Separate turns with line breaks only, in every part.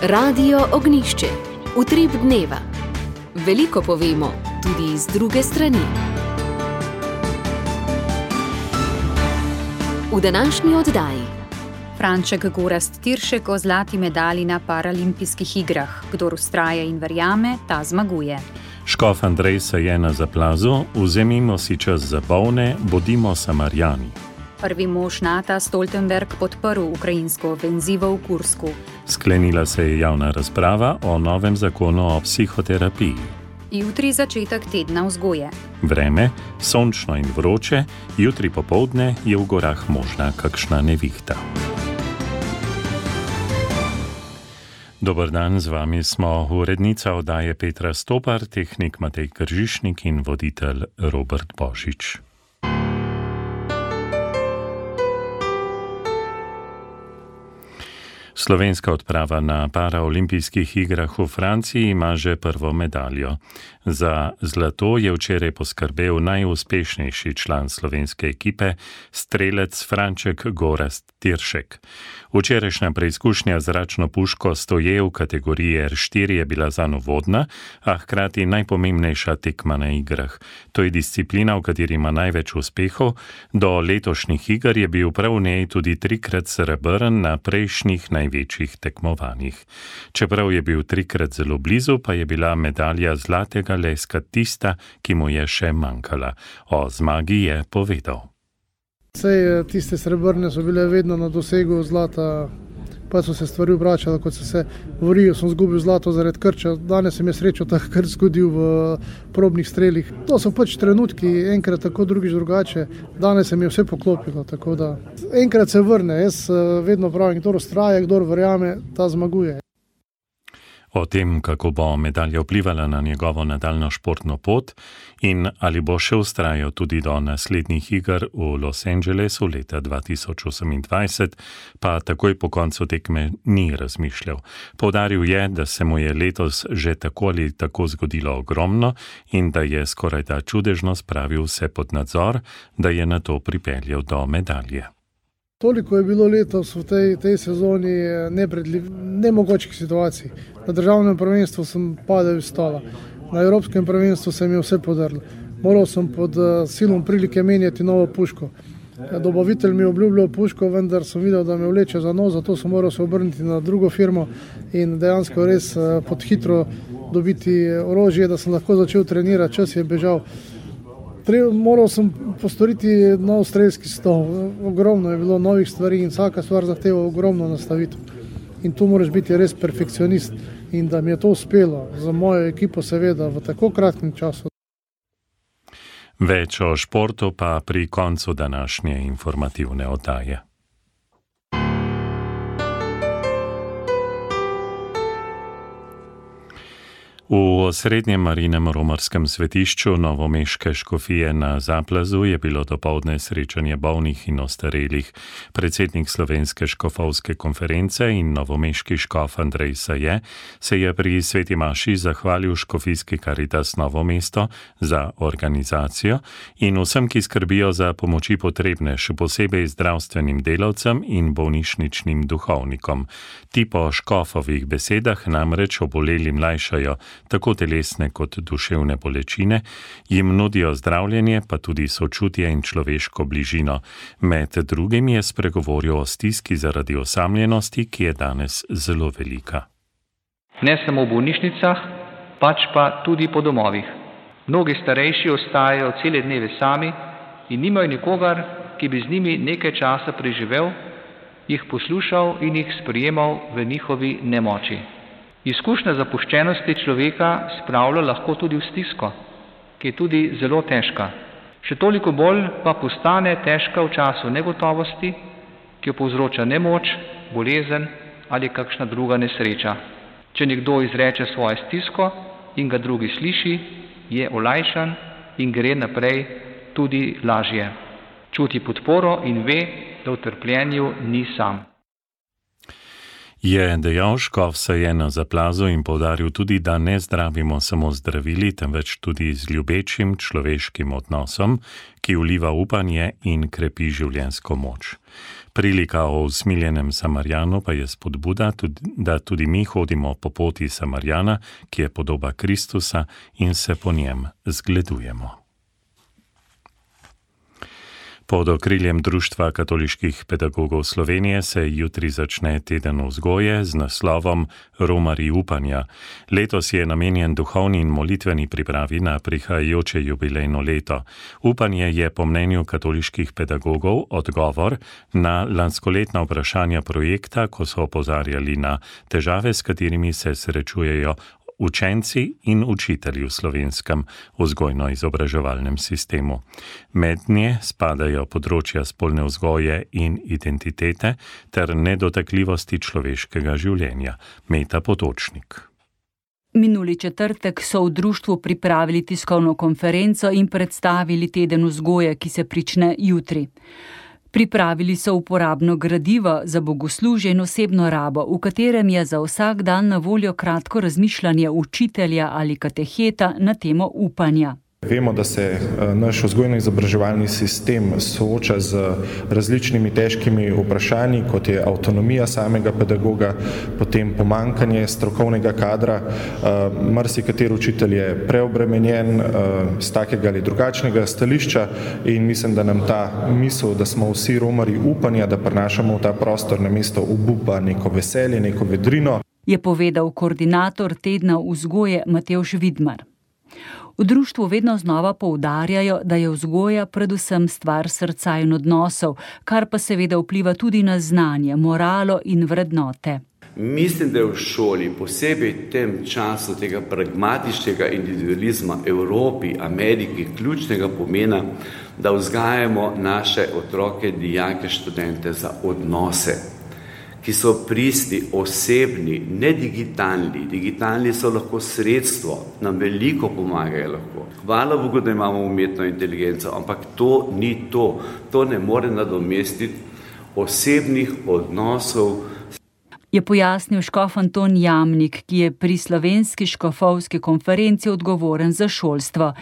Radio Ognišče, utrip dneva. Veliko povemo, tudi z druge strani. V današnji oddaji
Franček Gorazd Tiršek o zlati medalji na Paralimpijskih igrah. Kdor vztraja in verjame, ta zmaguje.
Škof Andrej se je na zaplazu, vzemimo si čas za bolne, bodimo Samarijani. Prvi
mož Nata Stoltenberg podprl ukrajinsko ofenzivo v Kursku.
Sklenila se je javna razprava o novem zakonu o psihoterapiji.
Jutri začetek tedna vzgoje.
Vreme, sončno in vroče, jutri popoldne je v gorah možna kakšna nevihta. Dober dan, z vami smo urednica oddaje Petra Stopar, tehnik Matej Kržišnik in voditelj Robert Božič. Slovenska odprava na paraolimpijskih igrah v Franciji ima že prvo medaljo. Za zlato je včeraj poskrbel najuspešnejši član slovenske ekipe, strelec Franček Gorazd Tiršek. Včerajšnja preizkušnja z zračno puško stoje v kategoriji R4 je bila zanj uvodna, a hkrati najpomembnejša tekma na igrah. To je disciplina, v kateri ima največ uspehov. Do letošnjih iger je bil prav v njej tudi 3-krat srebrn na prejšnjih največjih tekmovanjih. Čeprav je bil 3-krat zelo blizu, pa je bila medalja zlatega leska tista, ki mu je še manjkala. O zmagi je povedal.
Sej tiste srebrne so bile vedno na dosegu zlata, pa so se stvari obračale, kot so se govorijo, sem zgubil zlato zaradi krča. Danes se mi je srečo tak krč zgodil v probnih strelih. To so pač trenutki, enkrat tako, drugič drugače. Danes se mi je vse poklopilo, tako da enkrat se vrne. Jaz vedno pravim, kdor vztraja, kdor verjame, ta zmaguje.
O tem, kako bo medalja vplivala na njegovo nadaljno športno pot in ali bo še vztrajal tudi do naslednjih iger v Los Angelesu leta 2028, pa takoj po koncu tekme ni razmišljal. Poudaril je, da se mu je letos že tako ali tako zgodilo ogromno in da je skorajda čudežno spravil vse pod nadzor, da je nato pripeljal do medalje.
Toliko je bilo letos v tej sezoni nemogočih situacij. Na državnem prvenstvu sem padel iz stola. Na evropskem prvenstvu se mi je vse podrlo. Moral sem pod silom prilike menjati novo puško. Dobavitelj mi je obljubljal puško, vendar sem videl, da me vleče za nos, zato sem moral se obrniti na drugo firmo in dejansko res pod hitro dobiti orožje, da sem lahko začel trenirati, čas je bežal. Moral sem postoriti nov strelski stol. Ogromno je bilo novih stvari in vsaka stvar zahteva ogromno nastavitev. In tu moraš biti res perfekcionist in da mi je to uspelo za mojo ekipo seveda v tako kratkem času.
Več o športu pa pri koncu današnje informativne oddaje. V osrednjem Marinem romarskem svetišču novomeške škofije na Zaplazu je bilo dopoldne srečanje bolnih in ostarelih. Predsednik Slovenske škofovske konference in novomeški škof Andrej Saje se je pri sveti maši zahvalil škofijski Karitas Novo mesto za organizacijo in vsem, ki skrbijo za pomoči potrebne, še posebej zdravstvenim delavcem in bolnišničnim duhovnikom. Ti po škofovih besedah namreč obolelim lajšajo tako telesne kot duševne bolečine, jim nudijo zdravljenje, pa tudi sočutje in človeško bližino. Med drugim je spregovoril o stiski zaradi osamljenosti, ki je danes zelo velika.
Ne samo v bolnišnicah, pač pa tudi po domovih. Mnogi starejši ostajajo cele dneve sami in nimajo nikogar, ki bi z njimi nekaj časa preživel, jih poslušal in jih sprejemal v njihovi nemoči. Izkušnja zapuščenosti človeka spravlja lahko tudi v stisko, ki je tudi zelo težka. Še toliko bolj pa postane težka v času negotovosti, ki jo povzroča nemoč, bolezen ali kakšna druga nesreča. Če nekdo izreče svojo stisko in ga drugi sliši, je olajšan in gre naprej tudi lažje. Čuti podporo in ve, da v trpljenju ni sam.
Je dejal škof Seje na Zaplazu in poudaril tudi, da ne zdravimo samo zdravili, temveč tudi z ljubečim človeškim odnosom, ki vliva upanje in krepi življenjsko moč. Prilika o usmiljenem Samarijanu pa je spodbuda, da tudi mi hodimo po poti Samarijana, ki je podoba Kristusa, in se po njem zgledujemo. Pod okriljem Društva katoliških pedagogov Slovenije se jutri začne teden vzgoje z naslovom Romarji upanja. Letos je namenjen duhovni in molitveni pripravi na prihajajoče jubilejno leto. Upanje je po mnenju katoliških pedagogov odgovor na lanskoletna vprašanja projekta, ko so opozarjali na težave, s katerimi se srečujejo učenci in učitelji v slovenskem vzgojno-izobraževalnem sistemu. Mednje spadajo področja spolne vzgoje in identitete ter nedotakljivosti človeškega življenja. Meta Potočnik.
Minuli četrtek so v društvu pripravili tiskovno konferenco in predstavili teden vzgoje, ki se prične jutri. Pripravili so uporabno gradivo za bogoslužje in osebno rabo, v katerem je za vsak dan na voljo kratko razmišljanje učitelja ali kateheta na temo upanja.
Vemo, da se naš vzgojno-izobraževalni sistem sooča z različnimi težkimi vprašanji, kot je avtonomija samega pedagoga, potem pomanjkanje strokovnega kadra. Marsikateri učitelj je preobremenjen z takega ali drugačnega stališča in mislim, da nam ta misel, da smo vsi romarji upanja, da prinašamo v ta prostor namesto obupa neko veselje, neko vedrino,
je povedal koordinator tedna vzgoje Matevž Vidmar. V društvu vedno znova poudarjajo, da je vzgoja predvsem stvar srca in odnosov, kar pa seveda vpliva tudi na znanje, moralo in vrednote.
Mislim, da je v šoli, posebej v tem času tega pragmatičnega individualizma Evropi, Ameriki, ključnega pomena, da vzgajamo naše otroke, dijake, študente za odnose, ki so pristni, osebni, ne digitalni. Digitalni so lahko sredstvo, nam veliko pomagajo lahko. Hvala Bogu, da imamo umetno inteligenco, ampak to ni to. To ne more nadomestiti osebnih odnosov.
Je pojasnil škof Anton Jamnik, ki je pri slovenski škofovski konferenci odgovoren za šolstvo.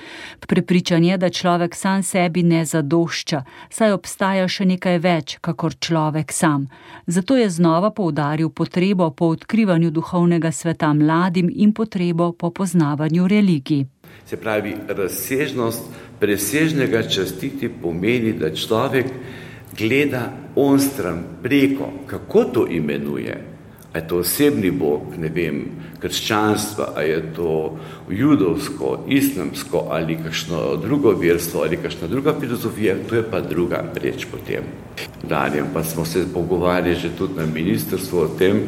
Prepričan je, da človek sam sebi ne zadošča, saj obstaja še nekaj več, kakor človek sam. Zato je znova poudaril potrebo po odkrivanju duhovnega sveta mladim in potrebo po poznavanju religij.
Se pravi, razsežnost presežnega častiti pomeni, da človek gleda onstran preko, kako to imenuje. A je to osebni bog, ne vem, krščanstva, a je to judovsko, islamsko ali kakšno drugo verstvo ali kakšna druga filozofija, to je pa druga reč potem. Dalje pa smo se pogovarjali že tudi na ministrstvu o tem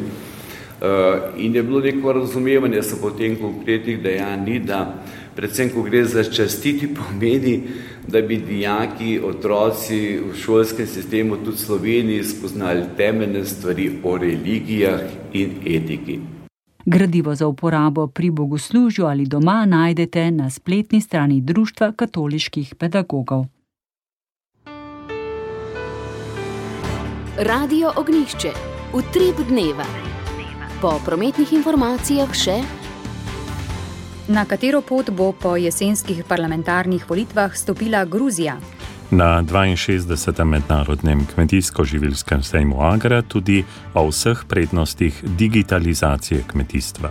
in je bilo neko razumevanje so potem konkretnih dejanj, da predvsem, ko gre za častiti, pomeni, da bi dijaki, otroci v šolskem sistemu tudi v Sloveniji spoznali temeljne stvari o religijah in etiki.
Gradivo za uporabo pri bogoslužju ali doma najdete na spletni strani Društva katoliških pedagogov.
Radio Ognjišče. Utrip dneva. Po prometnih informacijah še...
Na katero pot bo po jesenskih parlamentarnih volitvah stopila Gruzija?
Na 62. mednarodnem kmetijsko-živilskem sejmu Agra tudi o vseh prednostih digitalizacije kmetijstva.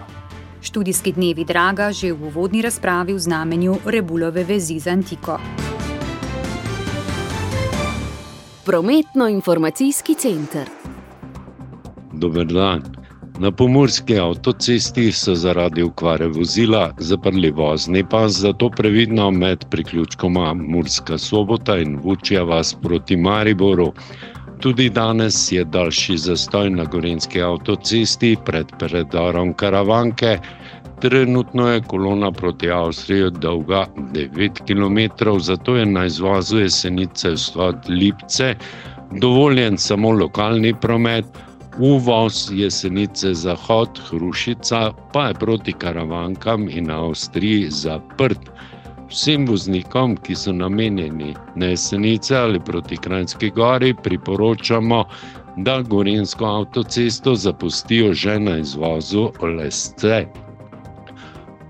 Študijski dnevi Draga že v uvodni razpravi v znamenju Rebulove vezi z antiko.
Prometno-informacijski center.
Dober dan. Na pomurski avtocesti so zaradi okvare vozila zaprli vozni pas, zato previdno med priključkoma Murska Sobota in Vučja vas proti Mariboru. Tudi danes je daljši zastoj na gorenjski avtocesti pred predorom Karavanke. Trenutno je kolona proti Avstriji dolga 9 km, zato je na izvozu Jesenice vzhod Lipce dovoljen samo lokalni promet. Uvoz Jesenice zahod Hrušica pa je proti Karavankam in Avstriji zaprt. Vsem voznikom, ki so namenjeni na Jesenice ali proti Kranjski Gori, priporočamo, da Gorenjsko avtocesto zapustijo že na izvozu Lesce.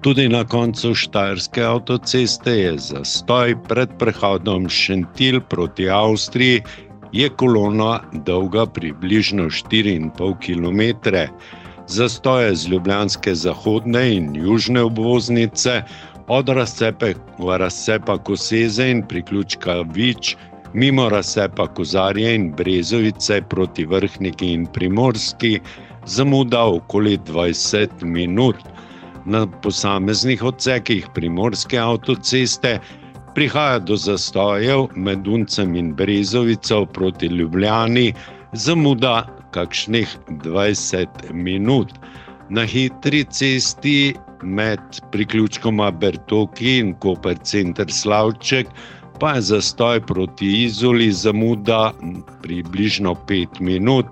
Tudi na koncu Štajerske avtoceste je zastoj. Pred prehodom Šentilj proti Avstriji je kolona dolga približno 4,5 km. Zastoje z ljubljanske zahodne in južne obvoznice od razcepa Koseze in priključka Vič mimo razcepa Kozarje in Brezovice proti Vrhniki in Primorski zamuda okoli 20 minut. Na posameznih odsekih Primorske avtoceste prihaja do zastojev med Uncem in Brezovico proti Ljubljani, zamuda kakšnih 20 minut. Na hitri cesti med priključkoma Bertoki in Koper center Slavček pa je zastoj proti Izoli, zamuda približno 5 minut.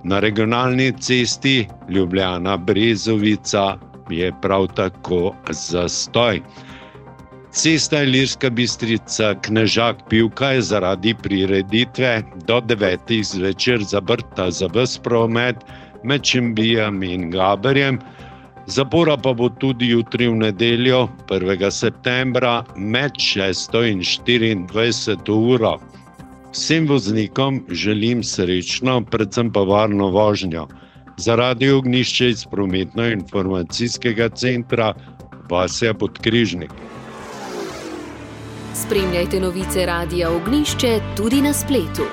Na regionalni cesti Ljubljana-Brezovica je prav tako zastoj. Cesta Ilirska Bistrica-Knežak-Pivka je zaradi prireditve do 9. zvečer zaprta za ves promet med Šembijem in Gaberjem. Zapora pa bo tudi jutri v nedeljo, 1. septembra, med 6. in 24. uro. Vsem voznikom želim srečno, predvsem pa varno vožnjo. Za Radio Ognjišče iz Prometno-informacijskega centra Vasja Podkrižnik.
Spremljajte novice Radia Ognjišče tudi na spletu.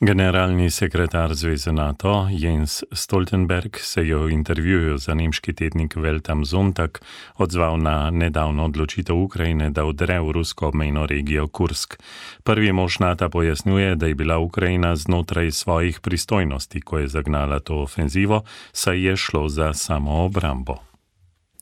Generalni sekretar Zveze NATO Jens Stoltenberg se je v intervjuju za nemški tednik Welt am Sonntag odzval na nedavno odločitev Ukrajine, da vdre v rusko obmejno regijo Kursk. Prvi mož NATO pojasnjuje, da je bila Ukrajina znotraj svojih pristojnosti, ko je zagnala to ofenzivo, saj je šlo za samoobrambo.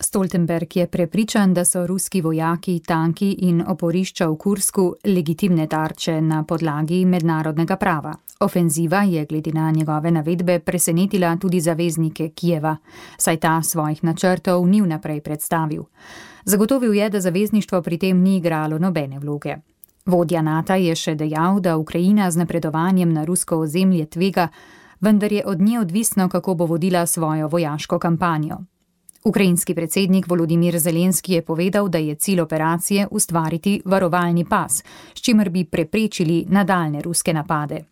Stoltenberg je prepričan, da so ruski vojaki, tanki in oporišča v Kursku legitimne tarče na podlagi mednarodnega prava. Ofenziva je glede na njegove navedbe presenetila tudi zaveznike Kijeva, saj ta svojih načrtov ni vnaprej predstavil. Zagotovil je, da zavezništvo pri tem ni igralo nobene vloge. Vodja NATO je še dejal, da Ukrajina z napredovanjem na rusko ozemlje tvega, vendar je od nje odvisno, kako bo vodila svojo vojaško kampanjo. Ukrajinski predsednik Volodimir Zelenski je povedal, da je cilj operacije ustvariti varovalni pas, s čimer bi preprečili nadaljne ruske napade.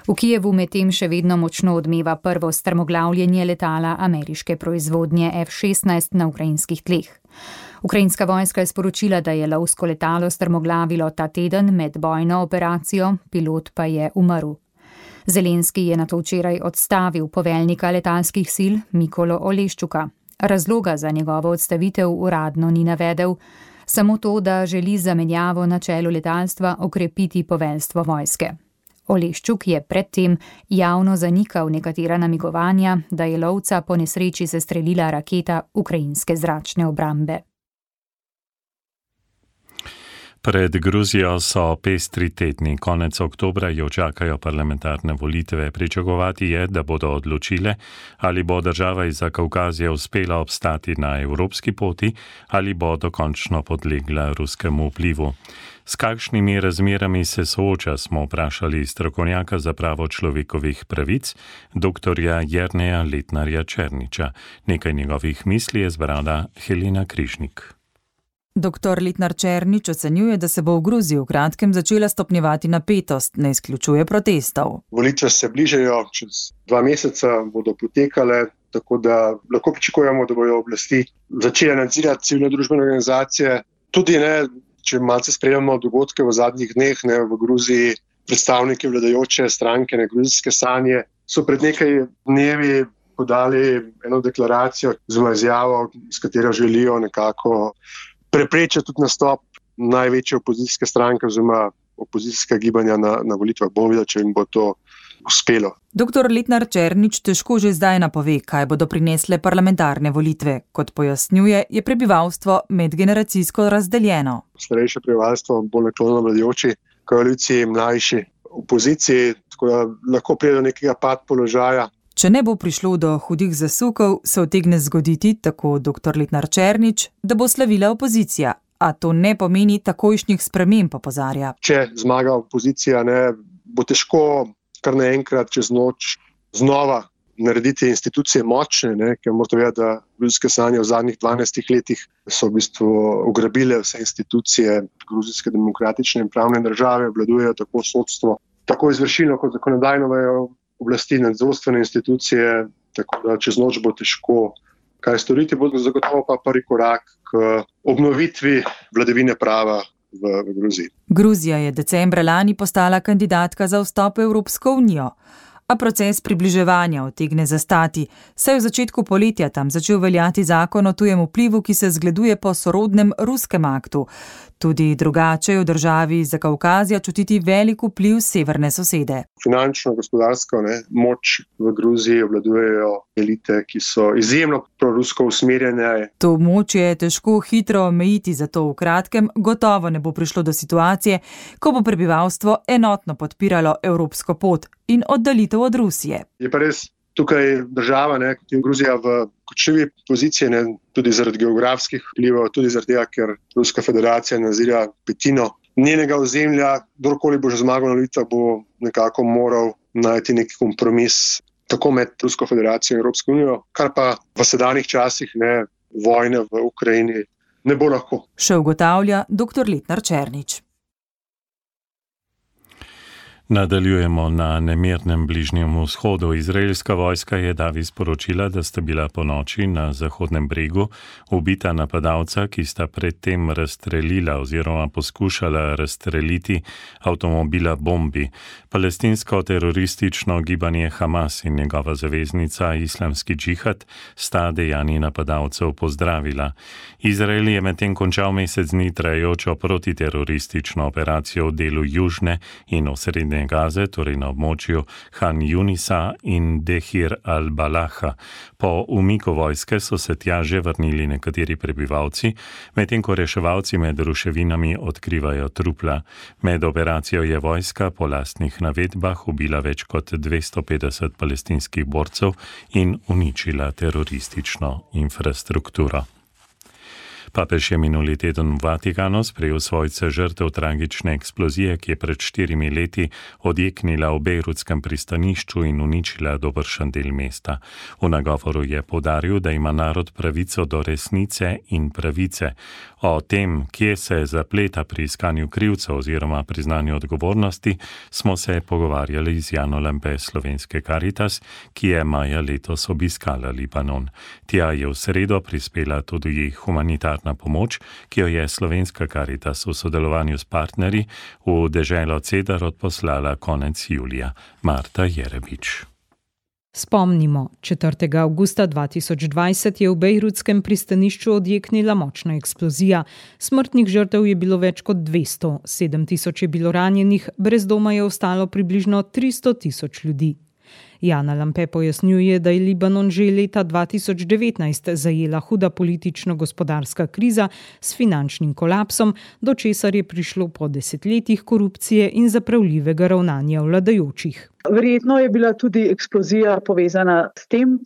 V Kijevu medtem še vedno močno odmeva prvo strmoglavljenje letala ameriške proizvodnje F-16 na ukrajinskih tleh. Ukrajinska vojska je sporočila, da je lovsko letalo strmoglavilo ta teden med bojno operacijo, pilot pa je umrl. Zelenski je nato včeraj odstavil poveljnika letalskih sil Mikolo Oleščuka. Razloga za njegovo odstavitev uradno ni navedel, samo to, da želi zamenjavo na čelu letalstva okrepiti poveljstvo vojske. Oleščuk je predtem javno zanikal nekatera namigovanja, da je lovca po nesreči sestrelila raketa ukrajinske zračne obrambe.
Pred Gruzijo so pestri tedni. Konec oktobra jo čakajo parlamentarne volitve. Pričakovati je, da bodo odločile, ali bo država iz Zakavkazije uspela obstati na evropski poti ali bo dokončno podlegla ruskemu vplivu. S kakšnimi razmerami se sooča, smo vprašali strokovnjaka za pravo človekovih pravic, doktorja Jerneja Letnarja Černiča. Nekaj njegovih misli je zbrala Helena Križnik.
Dr. Letnar Černič ocenjuje, da se bo v Gruziji v kratkem začela stopnjevati napetost, ne izključuje protestov.
Volitve se bližajo, čez 2 meseca bodo potekale, tako da lahko pričakujemo, da bodo oblasti začele nadzirati civilne družbene organizacije. Tudi če malce spremljamo dogodke v zadnjih dneh v Gruziji, predstavniki vladajoče stranke Gruzijske sanje so pred nekaj dnevi podali eno deklaracijo oziroma izjavo, s katero želijo nekako preprečiti tudi nastop največje opozicijske stranke oziroma opozicijska gibanja na volitvah. Bomo videli, če jim bo to uspelo.
Dr. Letnar Černič težko že zdaj napove, kaj bodo prinesle parlamentarne volitve. Kot pojasnjuje, je prebivalstvo medgeneracijsko razdeljeno.
Starejše prebivalstvo bolj naklonjeno vladajoči koaliciji, mlajši opoziciji, tako da lahko pride do nekega pad položaja.
Če ne bo prišlo do hudih zasukov, se utegne zgoditi, tako dr. Letnar Černič, da bo slavila opozicija. a to ne pomeni takojšnjih sprememb, opozarja.
Če zmaga opozicija, bo težko kar naenkrat čez noč znova narediti institucije močne, ker morate vedeti, da gruzijske sanje v zadnjih 12 letih so v bistvu ugrabile vse institucije gruzijske demokratične in pravne države, obvladujejo tako sodstvo, tako izvršilno kot zakonodajno vejo oblasti, nadzorstvene institucije, tako da čez noč bo težko kaj storiti, bo zagotovo pa prvi korak k obnovitvi vladavine prava v Gruziji.
Gruzija je decembra lani postala kandidatka za vstop v Evropsko unijo. A proces približevanja utegne zastati, saj je v začetku poletja tam začel veljati zakon o tujem vplivu, ki se zgleduje po sorodnem ruskem aktu. Tudi drugače je v državi Zakaukazija čutiti velik vpliv severne sosede.
Finančno, gospodarsko moč v Gruziji obvladujejo elite, ki so izjemno prorusko usmerjene.
To moč je težko hitro omejiti, zato v kratkem gotovo ne bo prišlo do situacije, ko bo prebivalstvo enotno podpiralo evropsko pot in oddaljitev od Rusije.
Je pa res tukaj država, kot je Gruzija v kočljivi poziciji, tudi zaradi geografskih vplivov, tudi zaradi tega, ker Ruska federacija nadzira petino njenega ozemlja. Kdorkoli bo že zmagal na volitvah, bo nekako moral najti neki kompromis tako med Rusko federacijo in Evropsko unijo, kar pa v sedanjih časih vojne v Ukrajini ne bo lahko.
Še ugotavlja dr. Letnar Černič.
Nadaljujemo na nemirnem Bližnjem vzhodu. Izraelska vojska je davi sporočila, da sta bila ponoči na Zahodnem bregu ubita napadalca, ki sta predtem razstrelila oziroma poskušala razstreliti avtomobila bombi. Palestinsko teroristično gibanje Hamas in njegova zaveznica Islamski džihad sta dejanji napadalcev pozdravila. Izrael je medtem končal mesec dni trajajočo protiteroristično operacijo v delu južne in osrednje Gaze, torej na območju Han Junisa in Dehir al-Balaha. Po umiku vojske so se tja že vrnili nekateri prebivalci, medtem ko reševalci med ruševinami odkrivajo trupla. Med operacijo je vojska po lastnih navedbah ubila več kot 250 palestinskih borcev in uničila teroristično infrastrukturo. Papež je minuli teden v Vatikanu sprejel svojce žrtev tragične eksplozije, ki je pred 4 leti odjeknila v bejrutskem pristanišču in uničila dobršen del mesta. V nagovoru je poudaril, da ima narod pravico do resnice in pravice. O tem, kje se zapleta pri iskanju krivcev oziroma priznanju odgovornosti, smo se pogovarjali z Jano Lampe Slovenske Karitas, ki je maja letos obiskala Libanon. Tja je v sredo prispela tudi humanitarna pomoč, ki jo je Slovenska Karitas v sodelovanju s partnerji v deželo Cedar odposlala konec julija. Marta Jerebič.
Spomnimo, 4. avgusta 2020 je v bejrutskem pristanišču odjeknila močna eksplozija. Smrtnih žrtev je bilo več kot 200, 7.000 je bilo ranjenih, brez doma je ostalo približno 300.000 ljudi. Jana Lampe pojasnjuje, da je Libanon že leta 2019 zajela huda politično-gospodarska kriza s finančnim kolapsom, do česar je prišlo po desetletjih korupcije in zapravljivega ravnanja vladajočih.
Verjetno je bila tudi eksplozija povezana s tem,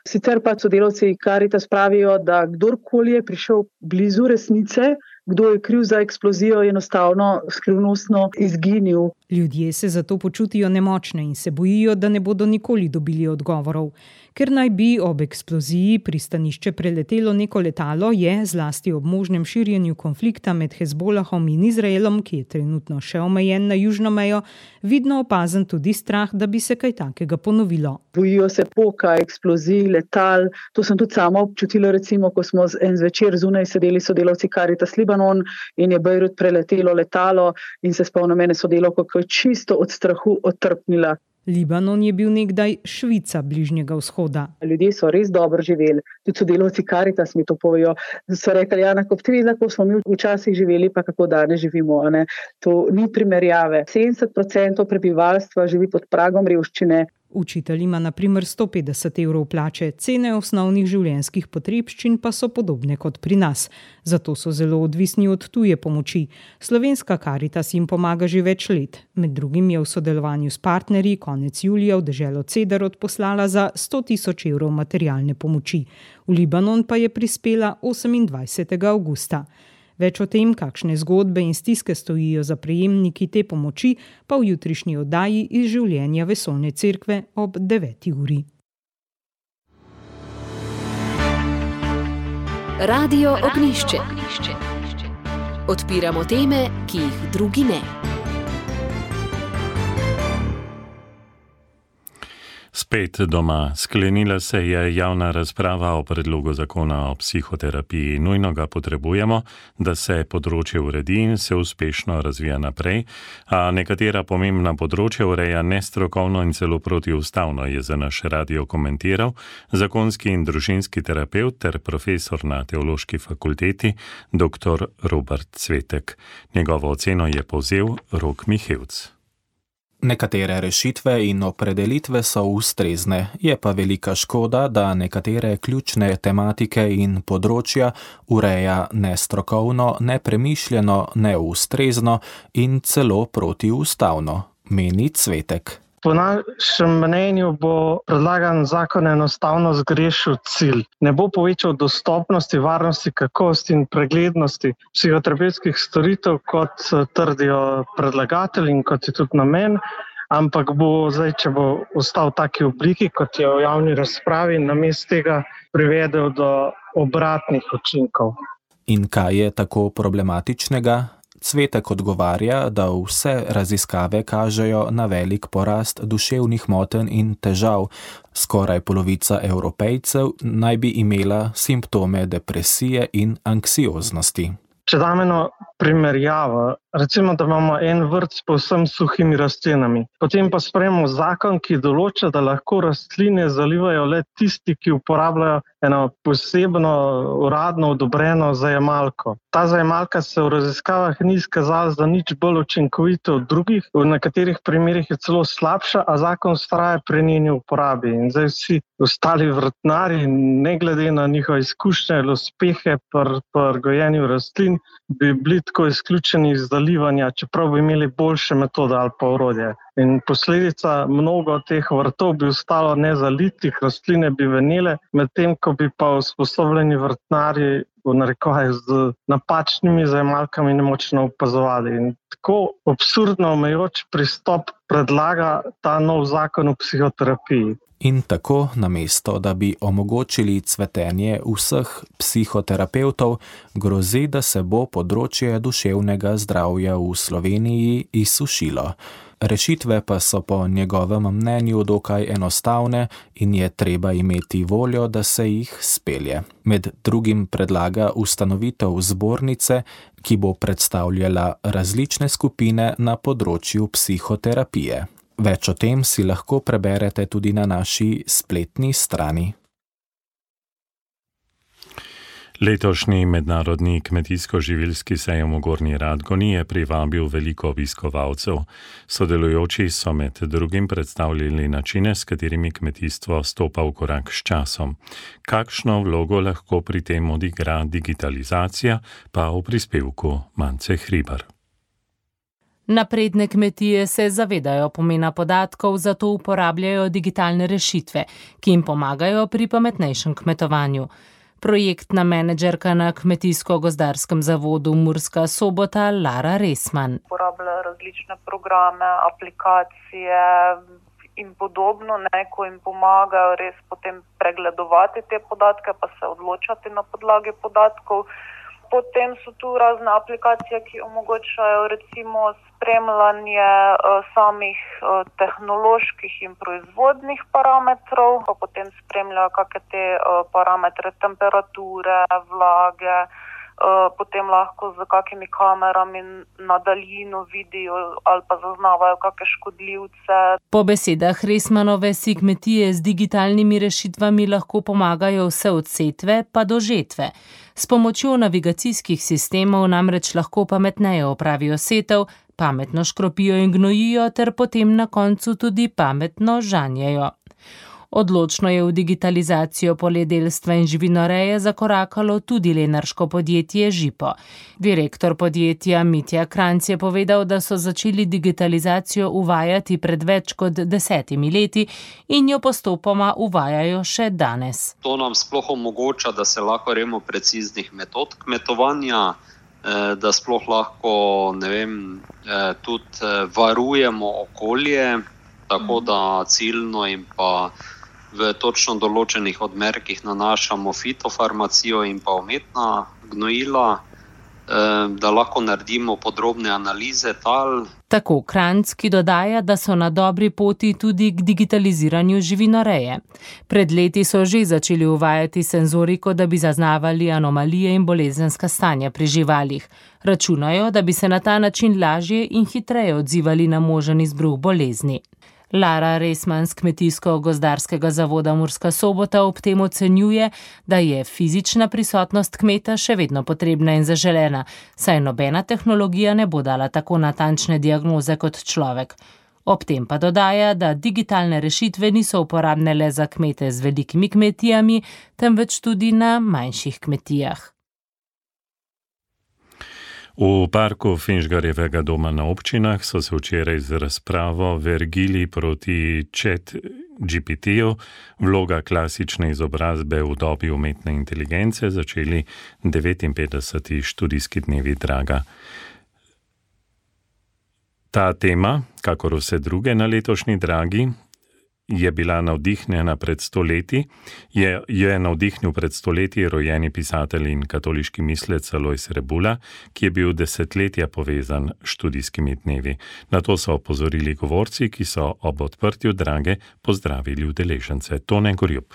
sicer pa sodelavci Karitas pravijo, da kdorkoli je prišel blizu resnice, kdo je kriv za eksplozijo, je enostavno skrivnostno izginil.
Ljudje se zato počutijo nemočne in se bojijo, da ne bodo nikoli dobili odgovorov. Ker naj bi ob eksploziji pristanišče preletelo neko letalo, je zlasti ob možnem širjenju konflikta med Hezbolahom in Izraelom, ki je trenutno še omejen na južno mejo, vidno opazen tudi strah, da bi se kaj takega ponovilo.
Bojijo se poka, eksplozij, letal. To sem tudi sama občutila, recimo, ko smo en zvečer zunaj sedeli sodelavci Karitas Libanon in je Bejrut preletelo letalo in se spomnim mene sodelavko, ko je čisto od strahu otrpnila.
Libanon je bil nekdaj Švica Bližnjega vzhoda.
Ljudje so res dobro živeli, tudi sodelavci Karitas mi to povejo. So rekli, Jana, ko smo mi včasih živeli, pa kako danes živimo. To ni primerjave. 70% prebivalstva živi pod pragom revščine.
Učitelj ima na primer 150 evrov plače, cene osnovnih življenjskih potrebščin pa so podobne kot pri nas. Zato so zelo odvisni od tuje pomoči. Slovenska Karitas jim pomaga že več let. Med drugim je v sodelovanju s partnerji konec julija v deželo Cedar odposlala za 100.000 evrov materialne pomoči. V Libanon pa je prispela 28. avgusta. Več o tem, kakšne zgodbe in stiske stojijo za prejemniki te pomoči, pa v jutrišnji oddaji iz življenja Vesoljne cerkve ob 9. uri.
Radio Ognjišče. Odpiramo teme, ki jih drugi ne.
Spet doma. Sklenila se je javna razprava o predlogu zakona o psihoterapiji. Nujno ga potrebujemo, da se področje uredi in se uspešno razvija naprej, a nekatera pomembna področja ureja nestrokovno in celo protiustavno, je za naš radio komentiral zakonski in družinski terapevt ter profesor na Teološki fakulteti dr. Robert Cvetek. Njegovo oceno je povzel Rok Mihevc.
Nekatere rešitve in opredelitve so ustrezne, je pa velika škoda, da nekatere ključne tematike in področja ureja nestrokovno, nepremišljeno, neustrezno in celo protiustavno, meni Cvetek.
Po našem mnenju bo predlagan zakon enostavno zgrešil cilj. Ne bo povečal dostopnosti, varnosti, kakovosti in preglednosti psihoterapevtskih storitev, kot trdijo predlagatelji in kot je tudi namen, ampak bo zdaj, če bo ostal v taki obliki, kot je v javni razpravi, namesto tega privedel do obratnih učinkov.
In kaj je tako problematičnega? Cvetek odgovarja, da vse raziskave kažejo na velik porast duševnih motenj in težav. Skoraj polovica Evropejcev naj bi imela simptome depresije in anksioznosti.
Če dam eno primerjavo, recimo, da imamo en vrt s povsem suhimi rastlinami, potem pa sprejmemo zakon, ki določa, da lahko rastline zalivajo le tisti, ki uporabljajo eno posebno uradno odobreno zajemalko. Ta zajemalka se v raziskavah ni izkazala za nič bolj učinkovito od drugih, v nekaterih primerih je celo slabša, a zakon vztraja pri njeni uporabi. In zdaj vsi ostali vrtnarji, ne glede na njihove izkušnje ali uspehe pri gojenju rastlin, bi bili tako izključeni iz zalivanja, čeprav bi imeli boljše metode ali pa orodje. In posledica mnogo teh vrtov bi ostalo nezalitih, rastline bi venele, medtem ko bi pa usposobljeni vrtnarji v narekovaju z napačnimi zajemalkami nemočno opazovali. In tako absurdno omejujoč pristop predlaga ta nov zakon o psihoterapiji.
In tako, namesto da bi omogočili cvetenje vseh psihoterapevtov, grozi, da se bo področje duševnega zdravja v Sloveniji izsušilo. Rešitve pa so po njegovem mnenju dokaj enostavne in je treba imeti voljo, da se jih spelje. Med drugim predlaga ustanovitev zbornice, ki bo predstavljala različne skupine na področju psihoterapije. Več o tem si lahko preberete tudi na naši spletni strani.
Letošnji mednarodni kmetijsko-živilski sejem v Gornji Radgoni je privabil veliko obiskovalcev. Sodelujoči so med drugim predstavljali načine, s katerimi kmetijstvo stopa v korak s časom. Kakšno vlogo lahko pri tem odigra digitalizacija, pa v prispevku Mance Hribar.
Napredne kmetije se zavedajo pomena podatkov, zato uporabljajo digitalne rešitve, ki jim pomagajo pri pametnejšem kmetovanju. Projektna menedžerka na Kmetijsko-gozdarskem zavodu Murska Sobota Lara Resman.
Uporabljajo različne programe, aplikacije in podobno, ko jim pomagajo res potem pregledovati te podatke, pa se odločati na podlagi podatkov. Potem so tu razne aplikacije, ki omogočajo recimo spremljanje samih tehnoloških in proizvodnih parametrov, pa potem spremljajo kakšne te parametre temperature, vlage, potem lahko z kakimi kamerami na daljino vidijo ali pa zaznavajo kakšne škodljivce.
Po besedah Resmanove si kmetije z digitalnimi rešitvami lahko pomagajo vse od setve pa do žetve. S pomočjo navigacijskih sistemov namreč lahko pametneje opravijo setev, pametno škropijo in gnojijo ter potem na koncu tudi pametno žanjejo. Odločno je v digitalizacijo poljedelstva in živinoreje zakorakalo tudi lenarško podjetje Žipo. Direktor podjetja Mitja Kranjc je povedal, da so začeli digitalizacijo uvajati pred več kot 10 leti in jo postopoma uvajajo še danes.
To nam sploh omogoča, da se lahko remo preciznih metod kmetovanja,
da sploh lahko, tudi varujemo okolje, tako da ciljno in pa v točno določenih odmerkih nanašamo fitofarmacijo in pa umetna gnojila, da lahko naredimo podrobne analize tal.
Tako Kranjc, ki dodaja, da so na dobri poti tudi k digitaliziranju živinoreje. Pred leti so že začeli uvajati senzoriko, da bi zaznavali anomalije in bolezenska stanja pri živalih. Računajo, da bi se na ta način lažje in hitreje odzivali na možen izbruh bolezni. Lara Resman z Kmetijsko-gozdarskega zavoda Murska Sobota ob tem ocenjuje, da je fizična prisotnost kmeta še vedno potrebna in zaželena, saj nobena tehnologija ne bo dala tako natančne diagnoze kot človek. Ob tem pa dodaja, da digitalne rešitve niso uporabne le za kmete z velikimi kmetijami, temveč tudi na manjših kmetijah.
V parku Finžgarjevega doma na občinah so se včeraj z razpravo vergili proti ChatGPT-ju, vloga klasične izobrazbe v dobi umetne inteligence, začeli 59. študijski dnevi Draga. Ta tema, kakor vse druge na letošnji Dragi, je navdihnil pred stoletji rojeni pisatelj in katoliški mislec Alojz Rebula, ki je bil desetletja povezan s študijskimi dnevi. Na to so opozorili govorci, ki so ob odprtju Drage pozdravili udeležence. Tone Gorjup.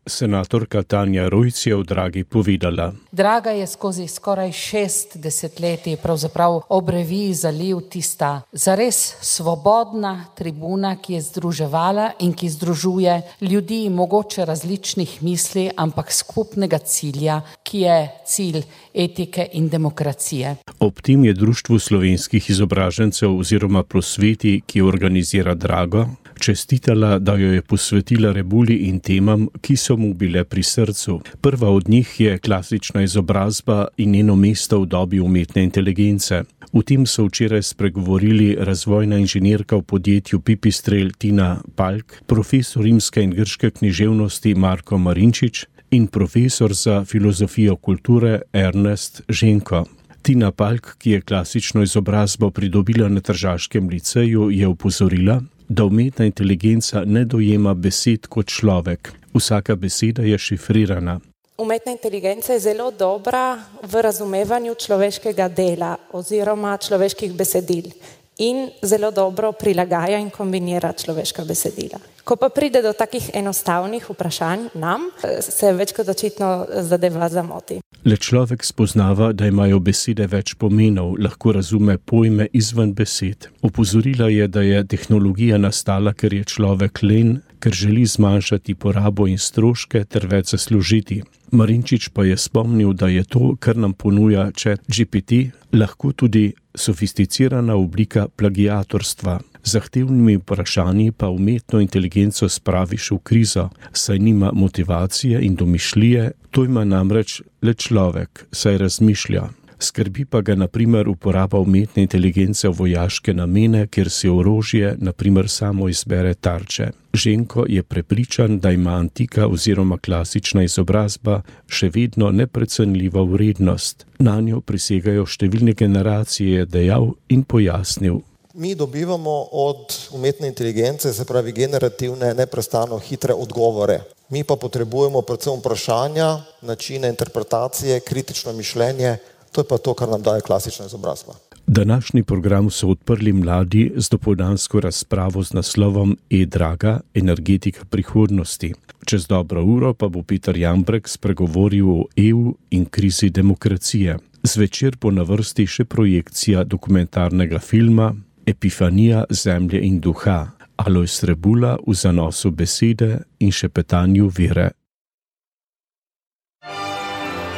Senatorka Tanja Rujc je v Dragi povedala.
Draga je skozi skoraj 6 desetletij pravzaprav ob reviji Zaliv tista zares svobodna tribuna, ki je združevala in ki združuje ljudi mogoče različnih misli, ampak skupnega cilja, ki je cilj etike in demokracije.
Ob tem je Društvu slovenskih izobražencev oziroma Prosveti, ki organizira Drago, čestitala, da jo je posvetila Rebuli in temam, ki so mu bile pri srcu. Prva od njih je klasična izobrazba in njeno mesto v dobi umetne inteligence. V tem so včeraj spregovorili razvojna inženirka v podjetju Pipistrel Tina Palk, profesor rimske in grške književnosti Marko Marinčič in profesor za filozofijo kulture Ernest Ženko. Tina Palk, ki je klasično izobrazbo pridobila na Tržaškem liceju, je opozorila, da umetna inteligenca ne dojema besed kot človek. Vsaka beseda je šifrirana.
Umetna inteligenca je zelo dobra v razumevanju človeškega dela oziroma človeških besedil in zelo dobro prilagaja in kombinira človeška besedila. Ko pa pride do takih enostavnih vprašanj nam, se več kot očitno zadeva zamoti.
Le človek spoznava, da imajo besede več pomenov, lahko razume pojme izven besed. Opozorila je, da je tehnologija nastala, ker je človek len, ker želi zmanjšati porabo in stroške ter več zaslužiti. Marinčič pa je spomnil, da je to, kar nam ponuja ChatGPT, lahko tudi sofisticirana oblika plagiatorstva. Zahtevnimi vprašanji pa umetno inteligenco spraviš v krizo, saj nima motivacije in domišljije, to ima namreč le človek, saj razmišlja. Skrbi pa ga na primer uporaba umetne inteligence v vojaške namene, kjer si orožje na primer samo izbere tarče. Ženko je prepričan, da ima antika oziroma klasična izobrazba še vedno neprecenljivo vrednost. Nanjo prisegajo številne generacije, je dejal in pojasnil.
Mi dobivamo od umetne inteligence, se pravi generativne, neprestano hitre odgovore. Mi pa potrebujemo predvsem vprašanja, načine interpretacije, kritično mišljenje. To je pa to, kar nam daje klasična izobrazba.
Današnji program so odprli mladi z dopoldansko razpravo z naslovom E-Draga, energetika prihodnosti. Čez dobro uro pa bo Peter Jambrek spregovoril o EU in krizi demokracije. Zvečer bo na vrsti še projekcija dokumentarnega filma Epifanija zemlje in duha, Alojz Rebula v zanosu besede in šepetanju vere.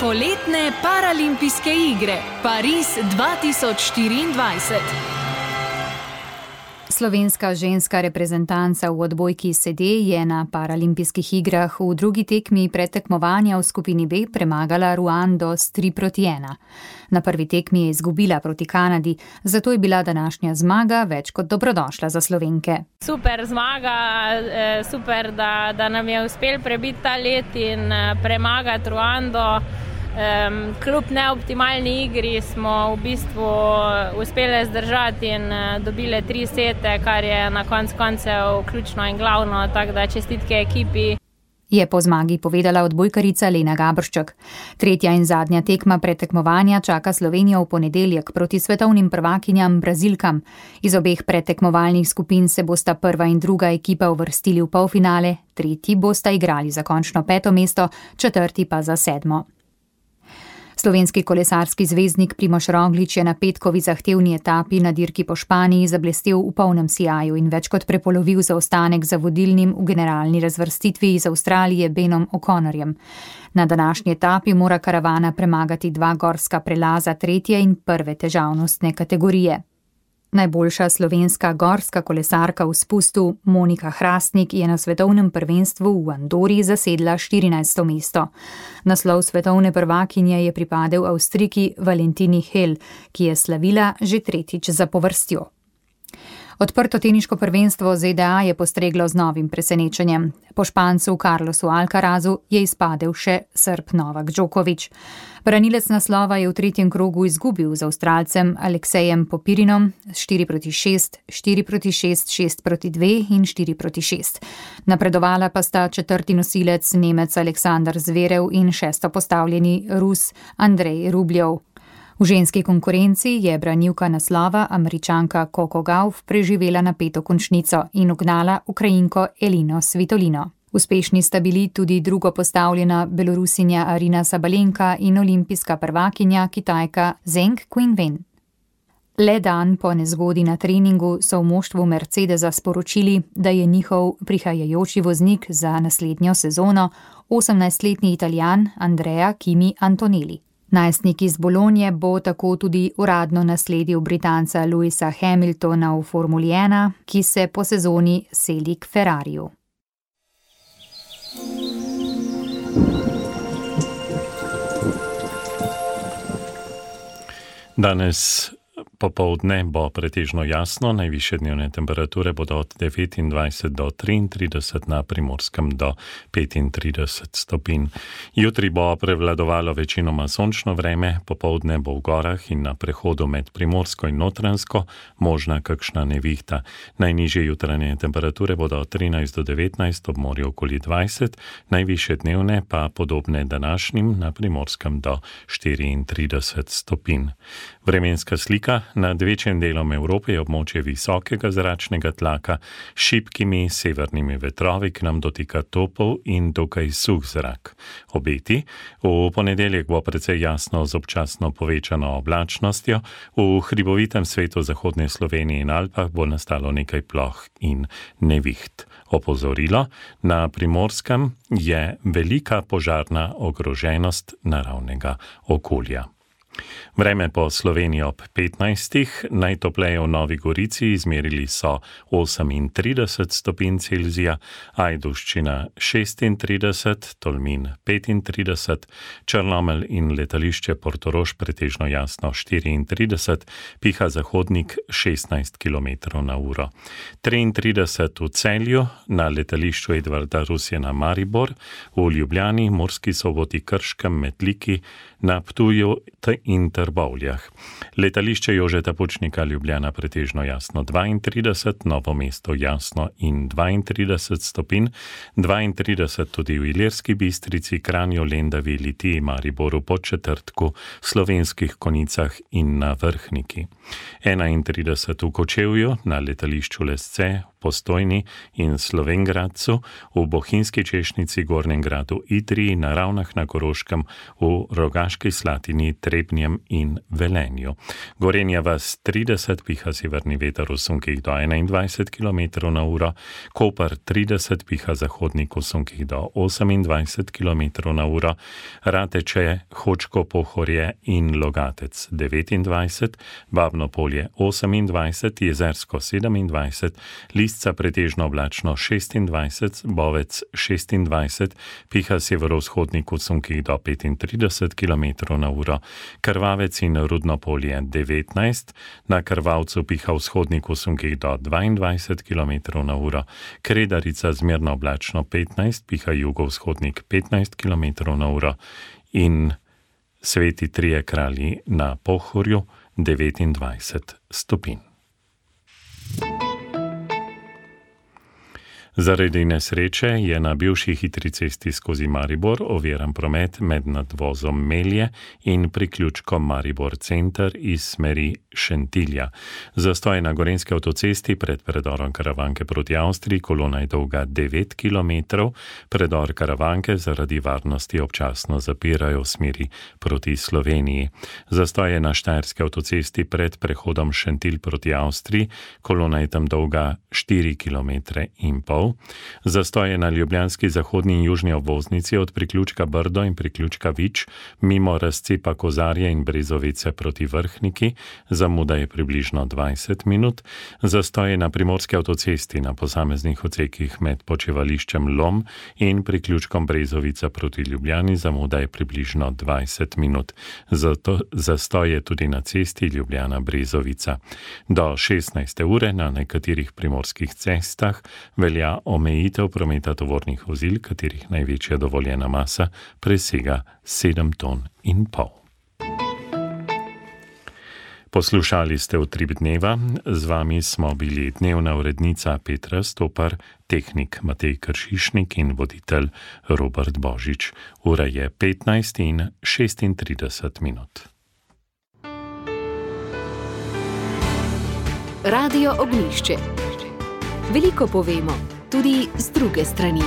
Poletne paralimpijske igre Pariz 2024.
Slovenska ženska reprezentanca v odbojki sede je na paralimpijskih igrah v drugi tekmi predtekmovanja v skupini B premagala Ruando s 3-1. Na prvi tekmi je izgubila proti Kanadi, zato je bila današnja zmaga več kot dobrodošla za Slovenke.
Super zmaga, super, da nam je uspel prebiti ta let in premagati Ruando.
Kljub neoptimalni igri smo v bistvu uspeli zdržati in dobili 3 sete, kar je na koncu koncev ključno in glavno, tako da čestitke ekipi.
Je po zmagi povedala odbojkarica Lena Gabršček. Tretja in zadnja tekma predtekmovanja čaka Slovenijo v ponedeljek proti svetovnim prvakinjam Brazilkam. Iz obeh predtekmovalnih skupin se bosta prva in druga ekipa uvrstili v polfinale, tretji bosta igrali za končno 5. mesto, četrti pa za 7. Slovenski kolesarski zvezdnik Primož Roglič je na petkovi zahtevni etapi na dirki po Španiji zablestel v polnem sijaju in več kot prepolovil zaostanek za vodilnim v generalni razvrstitvi iz Avstralije Benom O'Connorjem. Na današnji etapi mora karavana premagati 2 gorska prelaza 3. in 1. težavnostne kategorije. Najboljša slovenska gorska kolesarka v spustu Monika Hrastnik je na svetovnem prvenstvu v Andori zasedla 14. mesto. Naslov svetovne prvakinje je pripadel Avstrijki Valentini Hell, ki je slavila že 3. zapovrstjo. Odprto teniško prvenstvo ZDA je postreglo z novim presenečenjem. Po Špancu Carlosu Alcarazu je izpadel še Srb Novak Djokovic. Branilec naslova je v 3. krogu izgubil z Avstralcem Aleksejem Popirinom 4-6, 4-6, 6-2 in 4-6. Napredovala pa sta 4. nosilec Nemec Aleksandar Zverev in 6. postavljeni Rus Andrej Rubljev. V ženski konkurenci je branilka naslova Američanka Coco Gauff preživela napeto končnico in ugnala Ukrajinko Elino Svitolino. Uspešni sta bili tudi drugo postavljena Belorusinja Arina Sabalenka in olimpijska prvakinja Kitajka Zheng Qinwen. Le dan po nezgodi na treningu so v moštvu Mercedesa sporočili, da je njihov prihajajoči voznik za naslednjo sezono 18-letni Italijan Andrea Kimi Antonelli. Najstnik iz Bolonje bo tako tudi uradno nasledil Britanca Lewisa Hamiltona v Formuli 1, ki se po sezoni seli k Ferrariju.
Danes popoldne bo pretežno jasno, najvišje dnevne temperature bodo od 29 do 33, na Primorskem do 35 stopinj. Jutri bo prevladovalo večinoma sončno vreme, popoldne bo v gorah in na prehodu med Primorsko in Notranjsko možna kakšna nevihta. Najnižje jutranje temperature bodo od 13 do 19, ob morju okoli 20, najvišje dnevne pa podobne današnjim, na Primorskem do 34 stopinj. Vremenska slika. Nad večjim delom Evrope je območje visokega zračnega tlaka s šibkimi severnimi vetrovi, k nam dotika topel in dokaj suh zrak. Obeti: v ponedeljek bo precej jasno z občasno povečano oblačnostjo, v hribovitem svetu zahodne Slovenije in Alpah bo nastalo nekaj ploh in neviht. Opozorilo: na Primorskem je velika požarna ogroženost naravnega okolja. Vreme po Sloveniji ob 15. Najtopleje v Novi Gorici izmerili so 38 stopinj Celzija, Ajdovščina 36, Tolmin 35, Črnomelj in letališče Portorož pretežno jasno 34, piha zahodnik 16 km/h. 33 v Celju, na letališču Edvarda Rusjana Maribor, v Ljubljani, Murski Soboti, Krškem, Metliki, na Ptuju in Trbovljah. Letališče Jožeta Pučnika Ljubljana pretežno jasno 32, Novo mesto jasno in 32 stopinj, 32 tudi v Ilirski Bistrici, Kranju, Lendavi, Litiji, Mariboru, Podčetrtku, Slovenskih Konicah in na Vrhniki. 31 v Kočevju, na letališču Lesce, Postojni in Slovengradcu, v Bohinjski Češnici, Gornjem Gradu, Idriji, na Ravnah na Koroškem, v Rogaški Slatini, Trebnjem in Velenju. Gorenja vas 30, piha severni veter v sunkih do 21 km/h, Koper 30, piha zahodnik v sunkih do 28 km/h, Rateče, Hočko, Pohorje in Logatec 29, Babno Polje 28, Jezersko 27, Lisca pretežno oblačno 26, Bovec 26, piha severovzhodnik v sunkih do 35 km/h, Krvavec in Rudno Polje 19, na Krvavcu piha vzhodnik v sunkih do 22 km/h, Kredarica zmerno oblačno 15, piha jugovzhodnik 15 km/h in Sveti Trije kralji na Pohorju 29 stopinj. Zaradi nesreče je na bivši hitri cesti skozi Maribor oviran promet med nadvozom Melje in priključkom Maribor Center iz smeri Šentilja. Zastoj na gorenjski avtocesti pred predorom Karavanke proti Avstriji, kolona je dolga 9 km, predor Karavanke zaradi varnosti občasno zapirajo v smeri proti Sloveniji. Zastoj je na štajerski avtocesti pred prehodom Šentilj proti Avstriji, kolona je tam dolga 4,5 km. Zastoj je na ljubljanski zahodni in južni obvoznici od priključka Brdo in priključka Vič mimo razcepa Kozarje in Brezovice proti Vrhniki, zamuda je približno 20 minut. Zastoj je na primorski avtocesti na posameznih odsekih med počivališčem Lom in priključkom Brezovica proti Ljubljani, zamuda je približno 20 minut. Zastoj je tudi na cesti Ljubljana-Brezovica. Do 16. ure na nekaterih primorskih cestah velja omejitev prometa tovornih vozil, katerih največja dovoljena masa presega 7,5 ton. Poslušali ste Utrip dneva, z vami smo bili dnevna urednica Petra Stopar, tehnik Matej Kršišnik in voditelj Robert Božič. Ura je 15:36 minut.
Radio Ognjišče. Veliko povemo, tudi z druge strani.